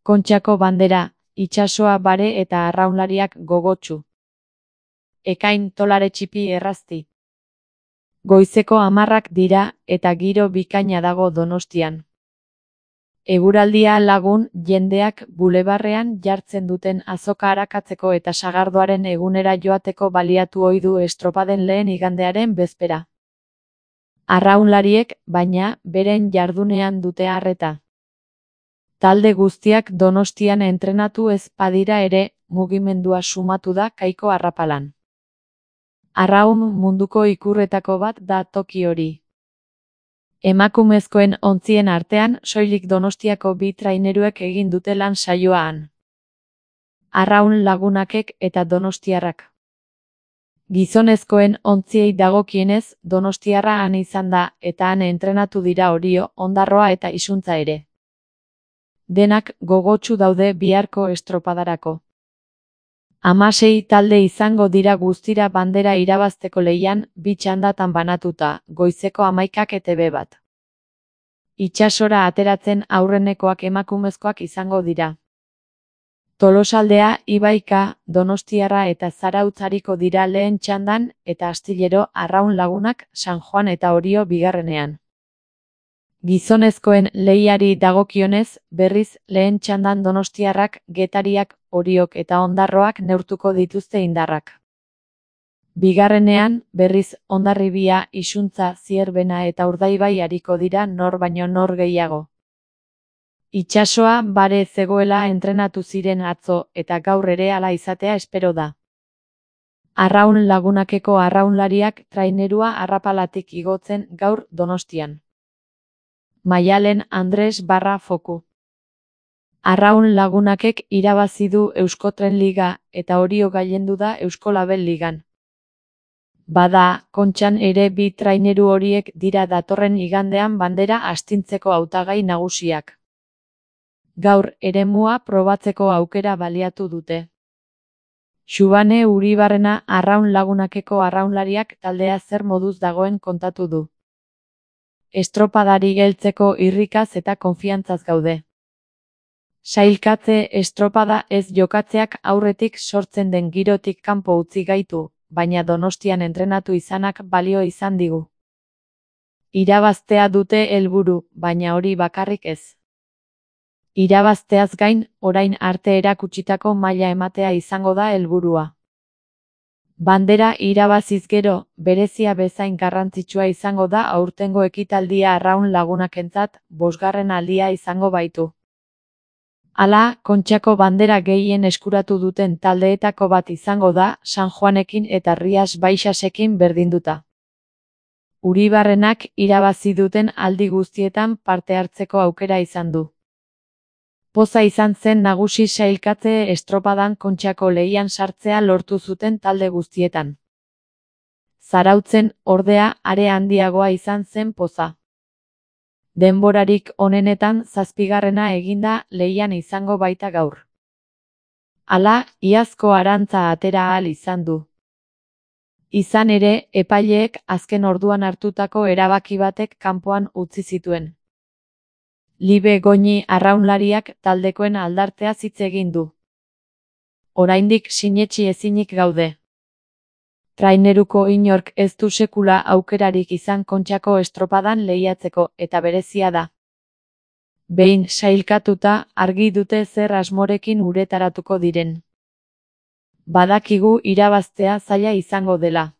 Kontxako bandera, itsasoa bare eta arraunlariak gogotsu. Ekain tolare txipi errazti. Goizeko 10 dira eta giro bikaina dago Donostian. Eguraldia lagun jendeak bulebarrean jartzen duten azoka arakatzeko eta sagardoaren egunera joateko baliatu ohi du estropaden lehen igandearen bezpera. Arraunlariek, baina, beren jardunean dute arreta. Talde guztiak Donostian entrenatu ez badira ere, mugimendua sumatu da Kaiko arrapalan. Arraun munduko ikurretako bat da toki hori. Emakumezkoen ontzien artean soilik Donostiako 2 traineruek egin dute lan saioan. Arraun lagunakek eta donostiarrak. Gizonezkoen ontziei dagokienez, Donostiarra han izan da eta han entrenatu dira Orio, Ondarroa eta Isuntza ere. Denak gogotsu daude biharko estropadarako. 16 talde izango dira guztira bandera irabazteko lehian, 2 txandatan banatuta, goizeko 11 ETB bat. Itsasora ateratzen aurrenekoak emakumezkoak izango dira. Tolosaldea, Ibaika, Donostiarra eta Zarautz ariko dira lehen txandan eta astillero arraun lagunak San Juan eta Orio bigarrenean. Gizonezkoen lehiari dagokionez, berriz lehen txandan Donostiarrak, Getariak, Oriok eta Ondarroak neurtuko dituzte indarrak. Bigarrenean, berriz Hondarribia, Isuntza, Zierbena eta Urdaibai ariko dira nor baino nor gehiago. Itsasoa bare zegoela entrenatu ziren atzo eta gaur ere hala izatea espero da. Arraun lagunakeko arraunlariak trainerua arrapalatik igotzen gaur Donostian. Maialen Andres Foku. Arraun lagunakek irabazi du Euskotren Liga eta Orio gailendu da Euskolabel Ligan. Bada, Kontxan ere 2 traineru horiek dira datorren igandean bandera astintzeko hautagai nagusiak. Gaur eremua probatzeko aukera baliatu dute. Xubane Uribarrena arraun lagunakeko arraunlariak taldea zer moduz dagoen kontatu du. Estropadari heltzeko irrikaz eta konfiantzaz gaude. Sailkatze estropada ez jokatzeak aurretik sortzen den girotik kanpo utzi gaitu, baina Donostian entrenatu izanak balio izan digu. Irabaztea dute helburu, baina hori bakarrik ez. Irabazteaz gain, orain arte erakutsitako maila ematea izango da helburua. Bandera irabaziz gero, berezia bezain garrantzitsua izango da aurtengo ekitaldia arraun lagunakentzat, 5. aldia izango baitu. Hala, Kontxako bandera gehien eskuratu duten taldeetako bat izango da, San Juanekin eta Rias Baixasekin berdinduta. Uribarrenak irabazi duten aldi guztietan parte hartzeko aukera izan du. Poza izan zen nagusi sailkatze estropadan Kontxako lehian sartzea lortu zuten talde guztietan. Zarautzen, ordea, are handiagoa izan zen poza. Denborarik onenetan 7. eginda lehian izango baita gaur. Hala, iazko arantza atera ahal izan du. Izan ere, epaileek azken orduan hartutako erabaki batek kanpoan utzi zituen. Libe Goñi arraunlariak taldekoen aldartea hitz egin du. Oraindik sinetsi ezinik gaude. Traineruko inork ez du sekula aukerarik izan Kontxako estropadan lehiatzeko eta berezia da. Behin sailkatuta argi dute zer asmorekin uretaratuko diren. Badakigu irabaztea zaila izango dela.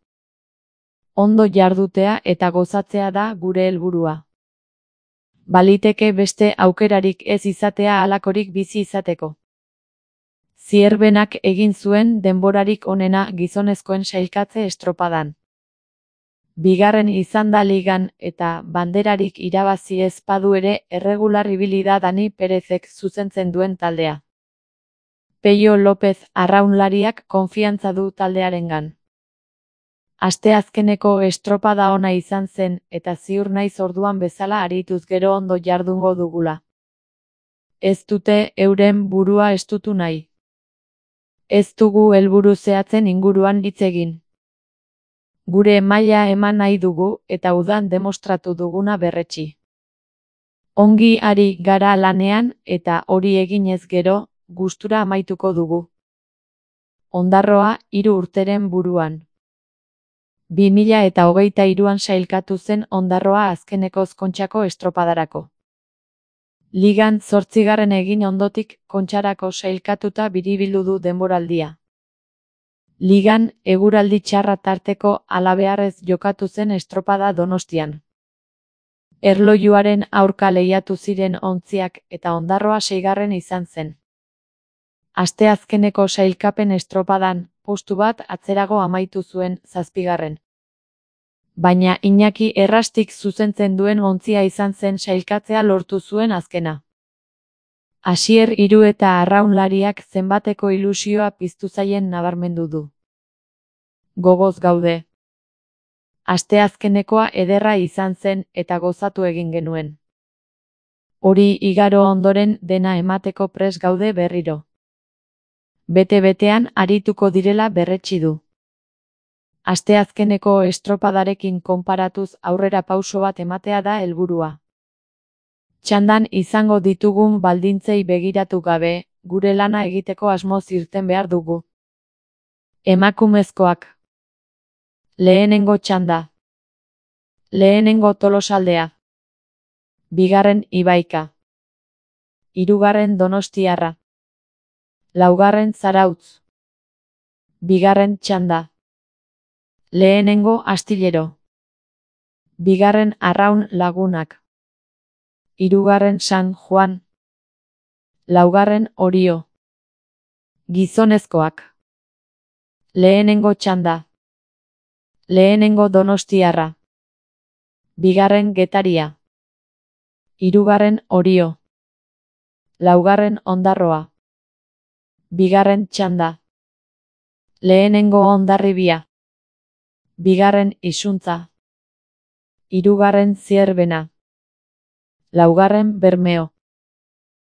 Ondo jardutea eta gozatzea da gure helburua. Baliteke beste aukerarik ez izatea halakorik bizi izateko. Zierbenak egin zuen denborarik onena gizonezkoen sailkatze estropadan. 2. izan da ligan eta banderarik irabazi ez badu ere erregular ibili da Dani Perezek zuzentzen duen taldea. Peio López arraunlariak konfiantza du taldearengan. Asteazkeneko estropada ona izan zen eta ziur naiz orduan bezala arituz gero ondo jardungo dugula. Ez dute euren burua estutu nahi. Ez dugu helburu zehatzen inguruan hitz egin. Gure maila eman nahi dugu eta udan demostratu duguna berretsi. Ongi ari gara lanean eta hori eginez gero, gustura amaituko dugu. Ondarroa 3 urteren buruan. 2023an sailkatu zen Ondarroa azkenekoz Kontxako estropadarako. Ligan 8. egin ondotik Kontxarako sailkatuta biribildu du denboraldia. Ligan, eguraldi txarra tarteko halabeharrez jokatu zen estropada Donostian. Erlojuaren aurka lehiatu ziren ontziak eta Ondarroa 6. izan zen. Asteazkeneko sailkapen estropadan, postu bat atzerago amaitu zuen 7. Baina Iñaki Errastik zuzentzen duen ontzia izan zen sailkatzea lortu zuen azkena. Asier Hiru eta arraunlariak zenbateko ilusioa piztu zaien nabarmendu du. Gogoz gaude. Asteazkenekoa ederra izan zen eta gozatu egin genuen. Hori igaro ondoren dena emateko prest gaude berriro. Bete-betean arituko direla berretsi du. Asteazkeneko estropadarekin konparatuz aurrera pauso bat ematea da helburua. Txandan izango ditugun baldintzei begiratu gabe, gure lana egiteko asmoz irten behar dugu. Emakumezkoak. Lehenengo txanda. Lehenengo Tolosaldea. 2. Ibaika. 3. Donostiarra. 4. Zarautz. 2. txanda. Lehenengo Astillero. 2. Arraun Lagunak. 3. San Juan. 4. Orio. Gizonezkoak. Lehenengo txanda. Lehenengo Donostiarra. 2. Getaria. 3. Orio. 4. Ondarroa. 2. txanda. Lehenengo Hondarribia. 2. Isuntza. 3. Zierbena. 4. Bermeo.